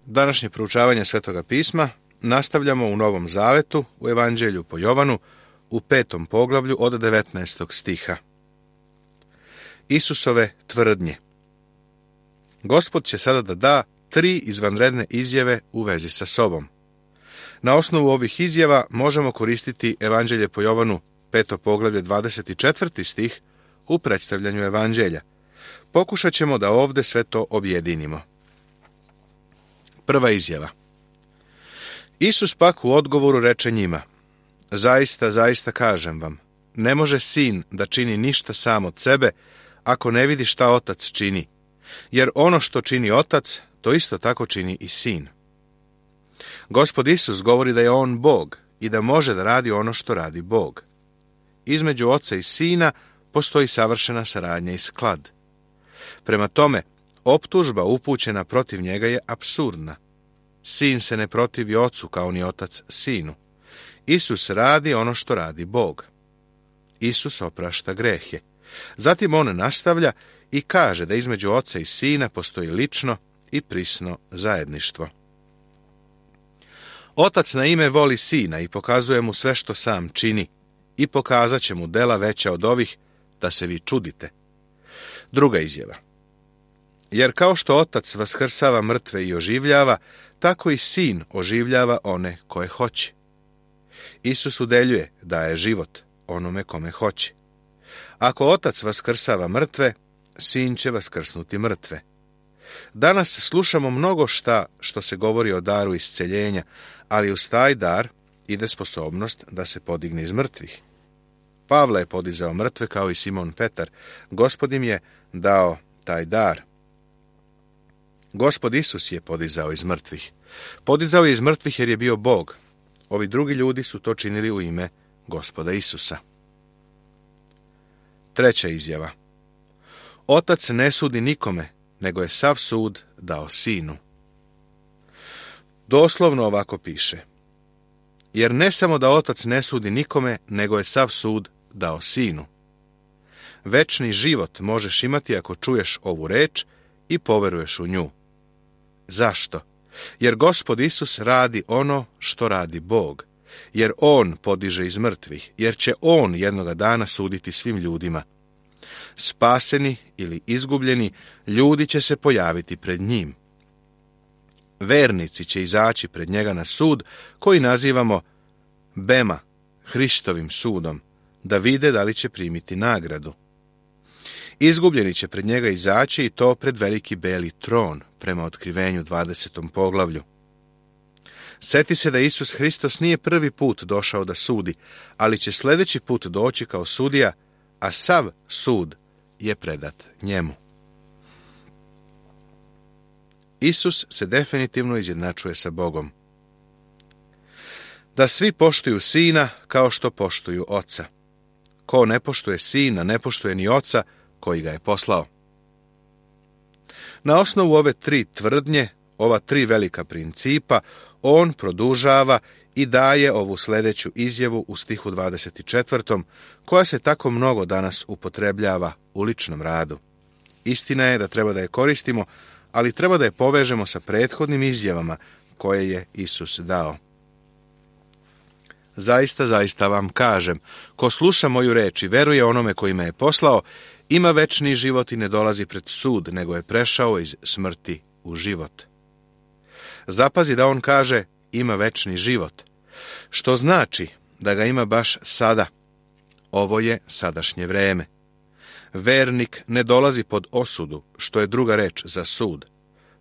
Današnje proučavanje Svetoga pisma nastavljamo u Novom Zavetu, u Evanđelju po Jovanu, u 5. poglavlju od 19. stiha. Isusove tvrdnje. Gospod će sada da 3 izvanredne izjave u vezi sa sobom. Na osnovu ovih izjava možemo koristiti Evanđelje po Jovanu, 5. poglavlje, 24. stih u predstavljanju Evanđelja. Pokušat ćemo da ovdje sve to objedinimo. Prva izjava. Isus pak u odgovoru reče njima: Zaista, zaista kažem vam, ne može sin da čini ništa sam od sebe, ako ne vidi šta otac čini. Jer ono što čini otac, to isto tako čini i sin. Gospod Isus govori da je on Bog i da može da radi ono što radi Bog. Između oca i sina postoji savršena saradnja i sklad. Prema tome, optužba upućena protiv njega je apsurdna. Sin se ne protivi ocu kao ni otac sinu. Isus radi ono što radi Bog. Isus oprašta grehe. Zatim on nastavlja i kaže da između oca i sina postoji lično i prisno zajedništvo. Otac na ime voli sina i pokazuje mu sve što sam čini i pokazat će mu dela veća od ovih, da se vi čudite. Druga izjava. Jer kao što otac vaskrsava mrtve i oživljava, tako i sin oživljava one koje hoće. Isus udeljuje, daje život onome kome hoće. Ako otac vaskrsava mrtve, sin će vaskrsnuti mrtve. Danas slušamo mnogo što se govori o daru isceljenja, ali uz taj dar ide sposobnost da se podigne iz mrtvih. Pavle je podizao mrtve kao i Simon Petar. Gospod im je dao taj dar. Gospod Isus je podizao iz mrtvih. Podizao je iz mrtvih jer je bio Bog. Ovi drugi ljudi su to činili u ime Gospoda Isusa. Treća izjava. Otac ne sudi nikome, nego je sav sud dao sinu. Doslovno ovako piše. Jer ne samo da otac ne sudi nikome, nego je sav sud dao sinu. Večni život možeš imati ako čuješ ovu reč i poveruješ u nju. Zašto? Jer Gospod Isus radi ono što radi Bog. Jer on podiže iz mrtvih. Jer će on jednoga dana suditi svim ljudima. Spaseni ili izgubljeni ljudi će se pojaviti pred njim. Vernici će izaći pred njega na sud koji nazivamo Bema, Hristovim sudom, da vide da li će primiti nagradu. Izgubljeni će pred njega izaći i to pred veliki beli tron, prema otkrivenju 20. poglavlju. Seti se da Isus Hristos nije prvi put došao da sudi, ali će sljedeći put doći kao sudija, a sav sud je predat njemu. Isus se definitivno izjednačuje sa Bogom. Da svi poštuju sina kao što poštuju oca. Ko ne poštuje sina, ne poštuje ni oca koji ga je poslao. Na osnovu ove 3 tvrdnje, ova 3 velika principa, on produžava i daje ovu sljedeću izjavu u stihu 24. koja se tako mnogo danas upotrebljava u ličnom radu. Istina je da treba da je koristimo, ali treba da je povežemo sa prethodnim izjavama koje je Isus dao. Zaista, zaista vam kažem, ko sluša moju reč i veruje onome koji me je poslao, ima večni život i ne dolazi pred sud, nego je prešao iz smrti u život. Zapazi da on kaže ima večni život, što znači da ga ima baš sada. Ovo je sadašnje vreme. Vernik ne dolazi pod osudu, što je druga reč za sud.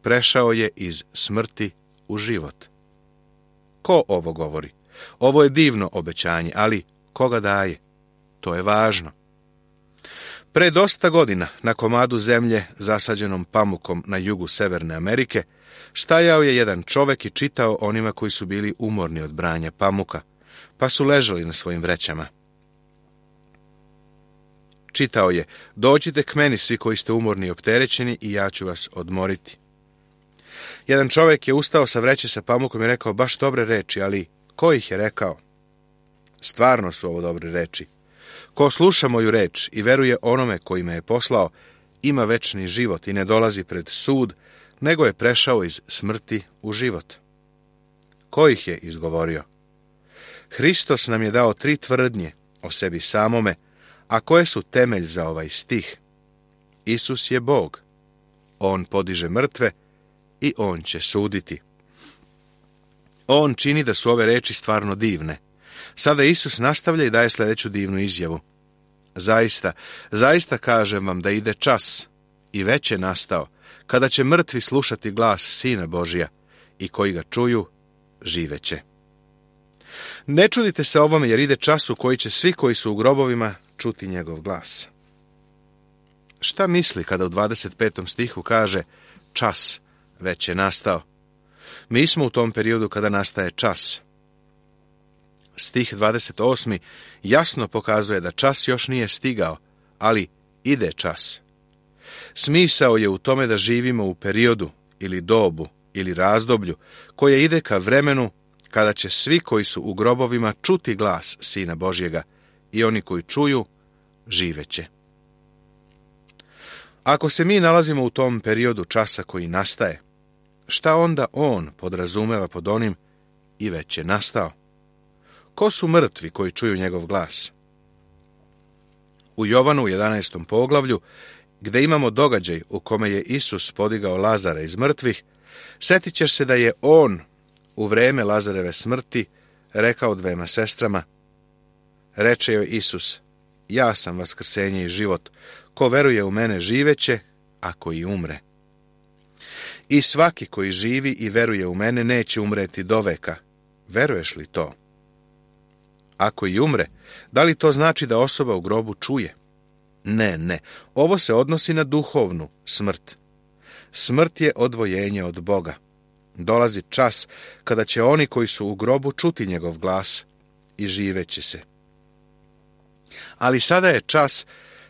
Prešao je iz smrti u život. Ko ovo govori? Ovo je divno obećanje, ali koga daje? To je važno. Pre dosta godina, na komadu zemlje zasađenom pamukom na jugu Severne Amerike, stajao je jedan čovek i čitao onima koji su bili umorni od branja pamuka, pa su ležali na svojim vrećama. Čitao je: dođite k meni svi koji ste umorni i opterećeni i ja ću vas odmoriti. Jedan čovjek je ustao sa vreće sa pamukom i rekao baš dobre reči, ali ko ih je rekao? Stvarno su ovo dobre reči. Ko sluša moju reč i veruje onome koji me je poslao, ima večni život i ne dolazi pred sud, nego je prešao iz smrti u život. Ko ih je izgovorio? Hristos nam je dao 3 tvrdnje o sebi samome, a koje su temelj za ovaj stih. Isus je Bog. On podiže mrtve i on će suditi. On čini da su ove reči stvarno divne. Sada Isus nastavlja i daje sljedeću divnu izjavu. Zaista, zaista kažem vam da ide čas, i već je nastao, kada će mrtvi slušati glas Sina Božija, i koji ga čuju, živeće. Ne čudite se ovome, jer ide čas u koji će svi koji su u grobovima čuti njegov glas. Šta misli kada u 25. stihu kaže čas već je nastao? Mi smo u tom periodu kada nastaje čas. Stih 28. jasno pokazuje da čas još nije stigao, ali ide čas. Smisao je u tome da živimo u periodu ili dobu ili razdoblju koje ide ka vremenu kada će svi koji su u grobovima čuti glas Sina Božjega, i oni koji čuju, živeće. Ako se mi nalazimo u tom periodu časa koji nastaje, šta onda on podrazumeva pod onim i već je nastao? Ko su mrtvi koji čuju njegov glas? U Jovanu 11. poglavlju, gdje imamo događaj u kome je Isus podigao Lazara iz mrtvih, setit ćeš se da je on u vreme Lazareve smrti rekao 2 sestrama. Reče joj Isus, ja sam vaskrsenje i život, ko veruje u mene živeće, ako i umre. I svaki koji živi i veruje u mene neće umreti doveka. Veruješ li to? Ako i umre, da li to znači da osoba u grobu čuje? Ne. Ovo se odnosi na duhovnu smrt. Smrt je odvojenje od Boga. Dolazi čas kada će oni koji su u grobu čuti njegov glas i živeće se. Ali sada je čas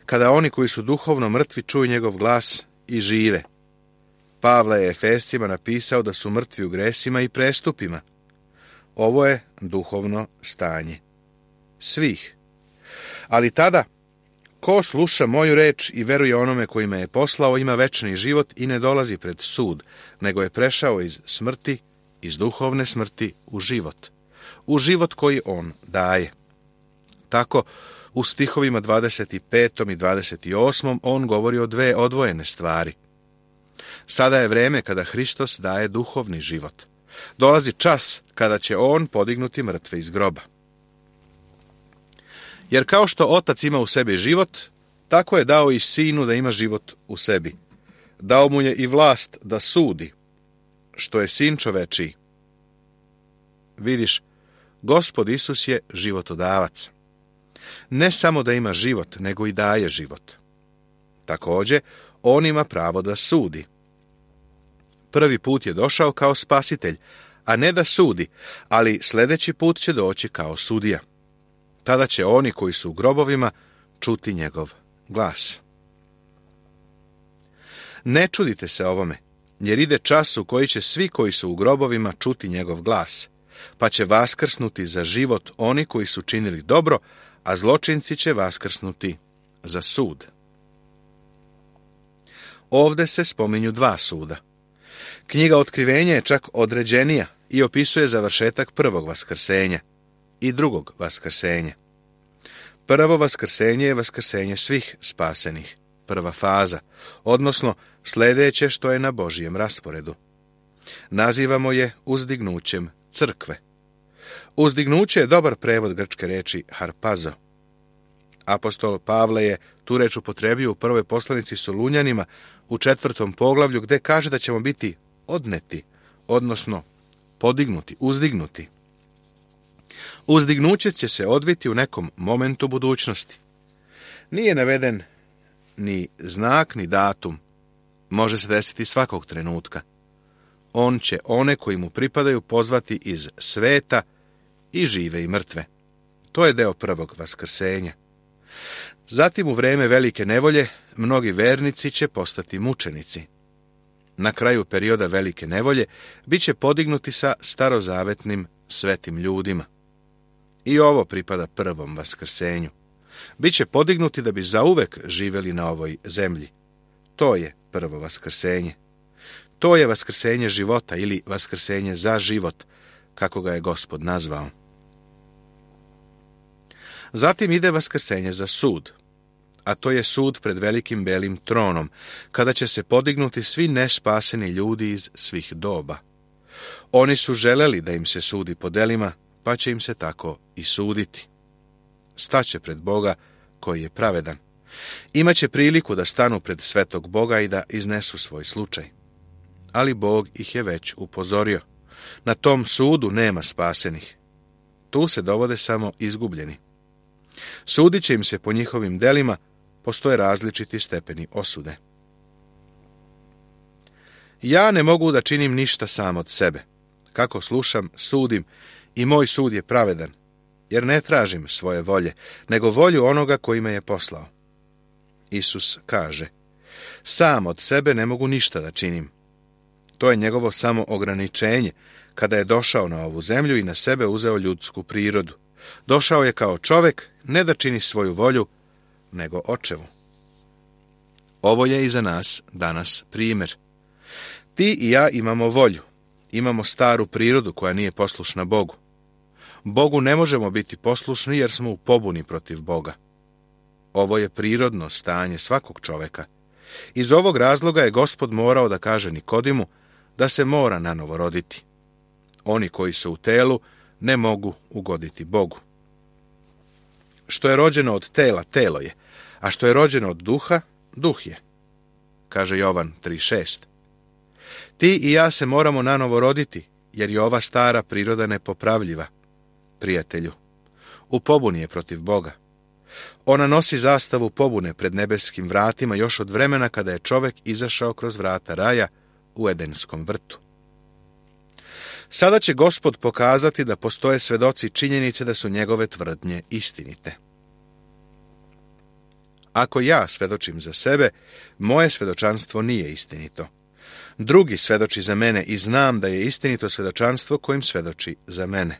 kada oni koji su duhovno mrtvi čuju njegov glas i žive. Pavle je Efescima napisao da su mrtvi u gresima i prestupima. Ovo je duhovno stanje svih. Ali tada, ko sluša moju reč i veruje onome koji me je poslao, ima večni život i ne dolazi pred sud, nego je prešao iz smrti, iz duhovne smrti u život koji on daje. Tako, u stihovima 25. i 28. on govori o 2 odvojene stvari. Sada je vreme kada Hristos daje duhovni život. Dolazi čas kada će on podignuti mrtve iz groba. Jer kao što Otac ima u sebi život, tako je dao i Sinu da ima život u sebi. Dao mu je i vlast da sudi, što je Sin čovečiji. Vidiš, Gospod Isus je životodavac. Ne samo da ima život, nego i daje život. Također, on ima pravo da sudi. Prvi put je došao kao spasitelj, a ne da sudi, ali sljedeći put će doći kao sudija. Tada će oni koji su u grobovima čuti njegov glas. Ne čudite se ovome, jer ide čas u koji će svi koji su u grobovima čuti njegov glas, pa će vaskrsnuti za život oni koji su činili dobro, a zločinci će vaskrsnuti za sud. Ovdje se spominju 2 suda. Knjiga Otkrivenja je čak određenija i opisuje završetak prvog vaskrsenja i drugog vaskrsenja. Prvo vaskrsenje je vaskrsenje svih spasenih, prva faza, odnosno sljedeće što je na Božijem rasporedu. Nazivamo je uzdignućem crkve. Uzdignuće je dobar prevod grčke reči harpazo. Apostol Pavle je tu reč upotrebio u prvoj poslanici Solunjanima u 4. poglavlju, gdje kaže da ćemo biti odneti, odnosno podignuti, uzdignuti. Uzdignuće će se odviti u nekom momentu budućnosti. Nije naveden ni znak, ni datum. Može se desiti svakog trenutka. On će one koji mu pripadaju pozvati iz sveta, i žive i mrtve. To je deo prvog vaskrsenja. Zatim u vrijeme velike nevolje mnogi vernici će postati mučenici. Na kraju perioda velike nevolje bit će podignuti sa starozavetnim svetim ljudima. I ovo pripada prvom vaskrsenju. Biće podignuti da bi zauvek živjeli na ovoj zemlji. To je prvo vaskrsenje. To je vaskrsenje života ili vaskrsenje za život, kako ga je Gospod nazvao. Zatim ide vaskrsenje za sud, a to je sud pred velikim belim tronom, kada će se podignuti svi nespaseni ljudi iz svih doba. Oni su želeli da im se sudi po delima, pa će im se tako i suditi. Staće pred Boga koji je pravedan. Imaće priliku da stanu pred svetog Boga i da iznesu svoj slučaj. Ali Bog ih je već upozorio. Na tom sudu nema spasenih. Tu se dovode samo izgubljeni. Sudit će im se po njihovim delima, postoje različiti stepeni osude. Ja ne mogu da činim ništa sam od sebe. Kako slušam, sudim i moj sud je pravedan, jer ne tražim svoje volje, nego volju onoga koji me je poslao. Isus kaže, sam od sebe ne mogu ništa da činim. To je njegovo samo ograničenje, kada je došao na ovu zemlju i na sebe uzeo ljudsku prirodu. Došao je kao čovjek, ne da čini svoju volju, nego očevu. Ovo je i za nas danas primjer. Ti i ja imamo volju, imamo staru prirodu koja nije poslušna Bogu. Bogu ne možemo biti poslušni jer smo u pobuni protiv Boga. Ovo je prirodno stanje svakog čovjeka. Iz ovog razloga je Gospod morao da kaže Nikodimu da se mora nanovo roditi. Oni koji su u telu ne mogu ugoditi Bogu. Što je rođeno od tela, telo je, a što je rođeno od duha, duh je, kaže Jovan 3:6. Ti i ja se moramo nanovo roditi, jer je ova stara priroda nepopravljiva. Prijatelju, u pobuni je protiv Boga. Ona nosi zastavu pobune pred nebeskim vratima još od vremena kada je čovjek izašao kroz vrata raja u Edenskom vrtu. Sada će Gospod pokazati da postoje svedoci činjenice da su njegove tvrdnje istinite. Ako ja svedočim za sebe, moje svedočanstvo nije istinito. Drugi svedoči za mene i znam da je istinito svedočanstvo kojim svedoči za mene.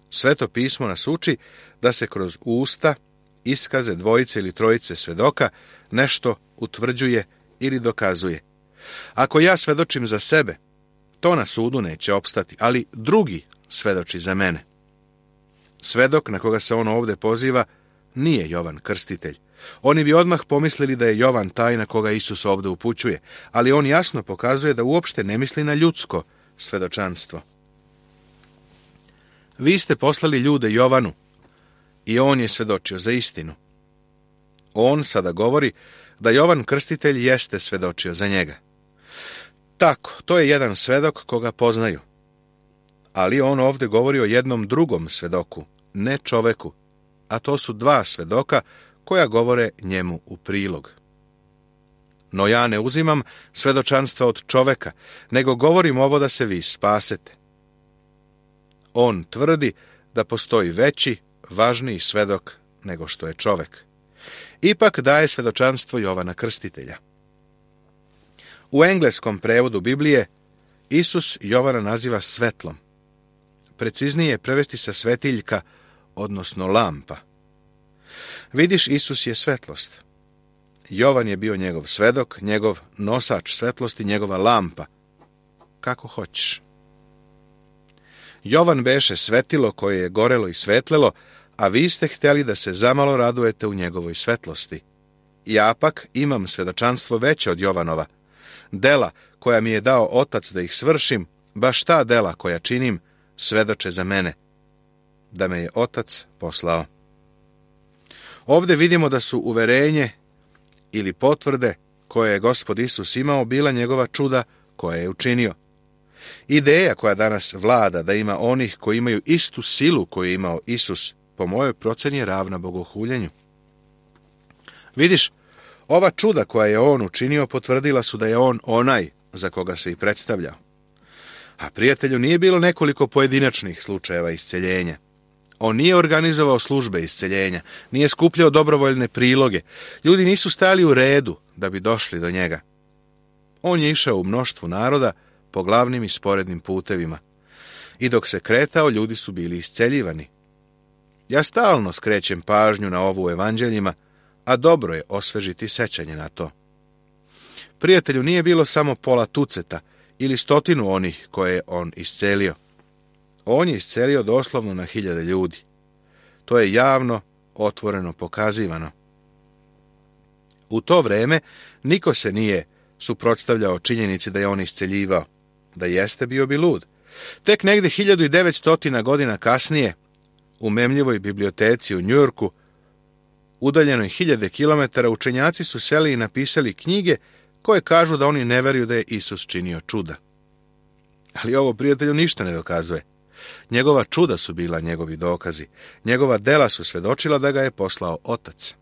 Sveto pismo nas uči da se kroz usta, iskaze dvojice ili trojice svedoka nešto utvrđuje ili dokazuje. Ako ja svedočim za sebe, to na sudu neće opstati, ali drugi svedoči za mene. Svedok na koga se on ovdje poziva nije Jovan Krstitelj. Oni bi odmah pomislili da je Jovan taj na koga Isus ovdje upućuje, ali on jasno pokazuje da uopšte ne misli na ljudsko svedočanstvo. Vi ste poslali ljude Jovanu i on je svedočio za istinu. On sada govori da Jovan Krstitelj jeste svedočio za njega. Tako, to je jedan svedok koga poznaju. Ali on ovdje govori o jednom drugom svedoku, ne čoveku, a to su dva svedoka koja govore njemu u prilog. No ja ne uzimam svedočanstva od čoveka, nego govorim ovo da se vi spasete. On tvrdi da postoji veći, važniji svedok nego što je čovek. Ipak daje svedočanstvo Jovana Krstitelja. U engleskom prevodu Biblije Isus Jovana naziva svetlom. Preciznije je prevesti sa svetiljka, odnosno lampa. Vidiš, Isus je svetlost. Jovan je bio njegov svedok, njegov nosač svetlosti, njegova lampa. Kako hoćeš. Jovan beše svetilo koje je gorelo i svetlelo, a vi ste htjeli da se zamalo radujete u njegovoj svetlosti. Ja pak imam svedočanstvo veće od Jovanova. Dela koja mi je dao Otac da ih svršim, baš ta dela koja činim, svedoče za mene, da me je Otac poslao. Ovdje vidimo da su uverenje ili potvrde koje je Gospod Isus imao bila njegova čuda koje je učinio. Ideja koja danas vlada da ima onih koji imaju istu silu koju je imao Isus, po mojoj proceni je ravna bogohuljenju. Vidiš, ova čuda koja je on učinio potvrdila su da je on onaj za koga se i predstavljao. A prijatelju, nije bilo nekoliko pojedinačnih slučajeva isceljenja. On nije organizovao službe isceljenja, nije skupljao dobrovoljne priloge. Ljudi nisu stali u redu da bi došli do njega. On je išao u mnoštvu naroda po glavnim i sporednim putevima. I dok se kretao, ljudi su bili isceljivani. Ja stalno skrećem pažnju na ovo u evanđeljima, a dobro je osvežiti sećanje na to. Prijatelju, nije bilo samo pola tuceta ili 100 onih koje je on iscelio. On je iscelio doslovno na 1000 ljudi. To je javno, otvoreno pokazivano. U to vreme niko se nije suprotstavljao činjenici da je on isceljivao. Da jeste, bio bi lud. Tek negdje 1900 godina kasnije, u memljivoj biblioteci u Njujorku, udaljenoj 1000 kilometara, učenjaci su seli i napisali knjige koje kažu da oni ne veruju da je Isus činio čuda. Ali ovo, prijatelju, ništa ne dokazuje. Njegova čuda su bila njegovi dokazi. Njegova dela su svedočila da ga je poslao Otac.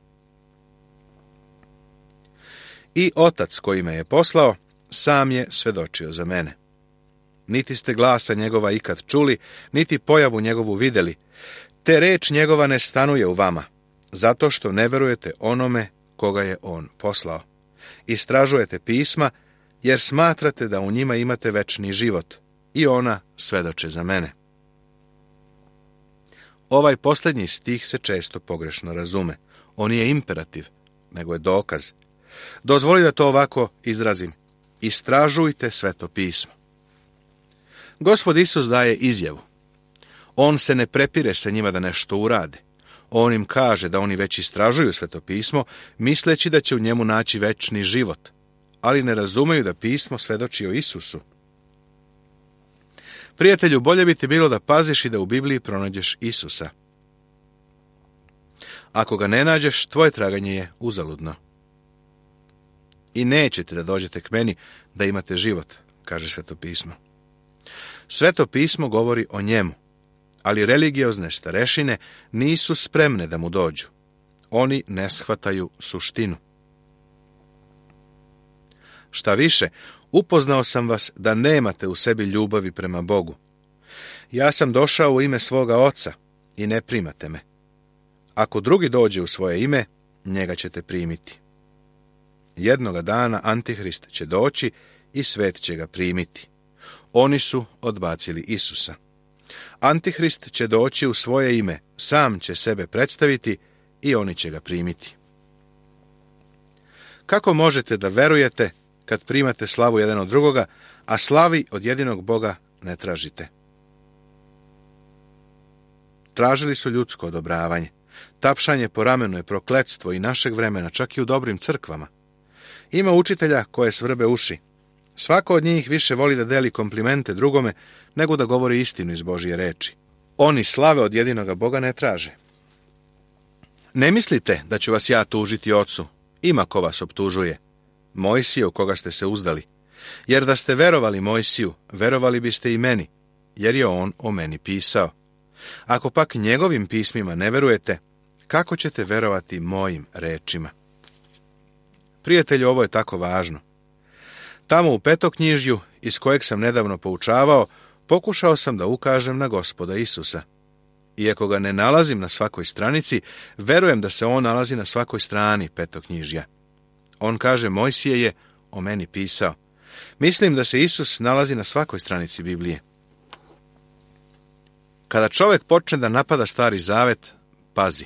I Otac koji me je poslao, sam je svedočio za mene. Niti ste glasa njegova ikad čuli, niti pojavu njegovu vidjeli, te reč njegova ne stanuje u vama, zato što ne verujete onome koga je on poslao. Istražujete pisma, jer smatrate da u njima imate večni život, i ona svedoče za mene. Ovaj posljednji stih se često pogrešno razume. On nije imperativ, nego je dokaz. Dozvoli da to ovako izrazim. Istražujte Sveto pismo. Gospod Isus daje izjavu. On se ne prepire sa njima da nešto urade. On im kaže da oni već istražuju Sveto pismo, misleći da će u njemu naći večni život, ali ne razumeju da pismo svedoči o Isusu. Prijatelju, bolje bi ti bilo da paziš i da u Bibliji pronađeš Isusa. Ako ga ne nađeš, tvoje traganje je uzaludno. I nećete da dođete k meni da imate život, kaže Sveto pismo. Sveto pismo govori o njemu, ali religiozne starešine nisu spremne da mu dođu. Oni ne shvataju suštinu. Šta više, upoznao sam vas da nemate u sebi ljubavi prema Bogu. Ja sam došao u ime svoga Oca i ne primate me. Ako drugi dođe u svoje ime, njega ćete primiti. Jednoga dana Antihrist će doći i svet će ga primiti. Oni su odbacili Isusa. Antihrist će doći u svoje ime, sam će sebe predstaviti i oni će ga primiti. Kako možete da verujete kad primate slavu jedan od drugoga, a slavi od jedinog Boga ne tražite? Tražili su ljudsko odobravanje. Tapšanje po ramenu je prokletstvo i našeg vremena, čak i u dobrim crkvama. Ima učitelja koje svrbe uši. Svako od njih više voli da deli komplimente drugome, nego da govori istinu iz Božje reči. Oni slave od jedinoga Boga ne traže. Ne mislite da ću vas ja tužiti Ocu. Ima ko vas optužuje. Mojsije u koga ste se uzdali. Jer da ste verovali Mojsiju, verovali biste i meni, jer je on o meni pisao. Ako pak njegovim pismima ne verujete, kako ćete verovati mojim rečima? Prijatelju, ovo je tako važno. Tamo u Petoknjižju, iz kojeg sam nedavno poučavao, pokušao sam da ukažem na Gospoda Isusa. Iako ga ne nalazim na svakoj stranici, verujem da se on nalazi na svakoj strani Petoknjižja. On kaže, Mojsije je o meni pisao. Mislim da se Isus nalazi na svakoj stranici Biblije. Kada čovjek počne da napada Stari Zavet, pazi.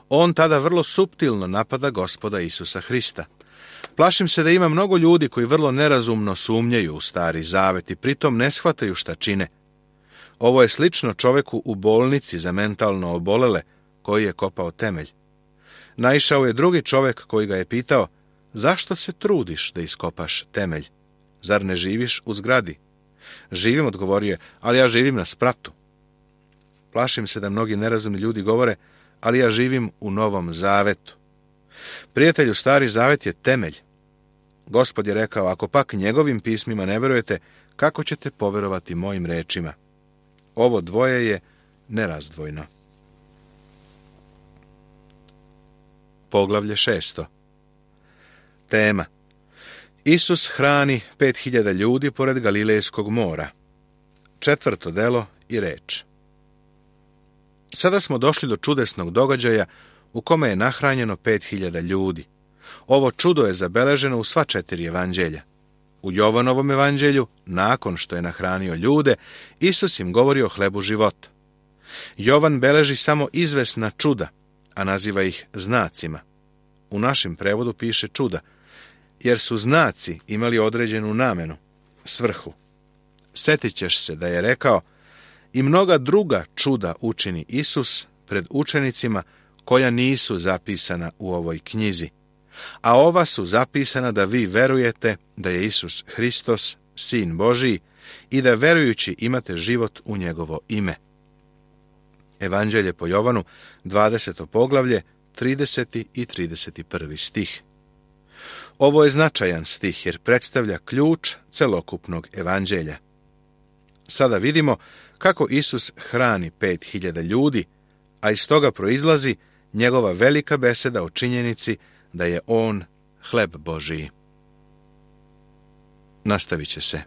On tada vrlo suptilno napada Gospoda Isusa Hrista. Plašim se da ima mnogo ljudi koji vrlo nerazumno sumnjaju u Stari Zavet i pritom ne shvataju šta čine. Ovo je slično čovjeku u bolnici za mentalno obolele koji je kopao temelj. Naišao je drugi čovjek koji ga je pitao, zašto se trudiš da iskopaš temelj? Zar ne živiš u zgradi? Živim, odgovorio je, ali ja živim na spratu. Plašim se da mnogi nerazumni ljudi govore, ali ja živim u Novom Zavetu. Prijatelju, Stari Zavet je temelj. Gospod je rekao, ako pak njegovim pismima ne verujete, kako ćete poverovati mojim rečima? Ovo dvoje je nerazdvojno. Poglavlje 6. Tema. Isus hrani 5000 ljudi pored Galilejskog mora. 4. delo i reč. Sada smo došli do čudesnog događaja u kome je nahranjeno 5000 ljudi. Ovo čudo je zabeleženo u sva 4 evanđelja. U Jovanovom evanđelju, nakon što je nahranio ljude, Isus im govori o hlebu života. Jovan beleži samo izvesna čuda, a naziva ih znacima. U našem prevodu piše čuda, jer su znaci imali određenu namenu, svrhu. Setit ćeš se da je rekao: i mnoga druga čuda učini Isus pred učenicima koja nisu zapisana u ovoj knjizi, a ova su zapisana da vi verujete da je Isus Hristos, Sin Božiji, i da verujući imate život u njegovo ime. Evanđelje po Jovanu, 20. poglavlje, 30. i 31. stih. Ovo je značajan stih jer predstavlja ključ celokupnog evanđelja. Sada vidimo kako Isus hrani 5.000 ljudi, a iz toga proizlazi njegova velika beseda o činjenici da je on hleb Božiji. Nastavit će se.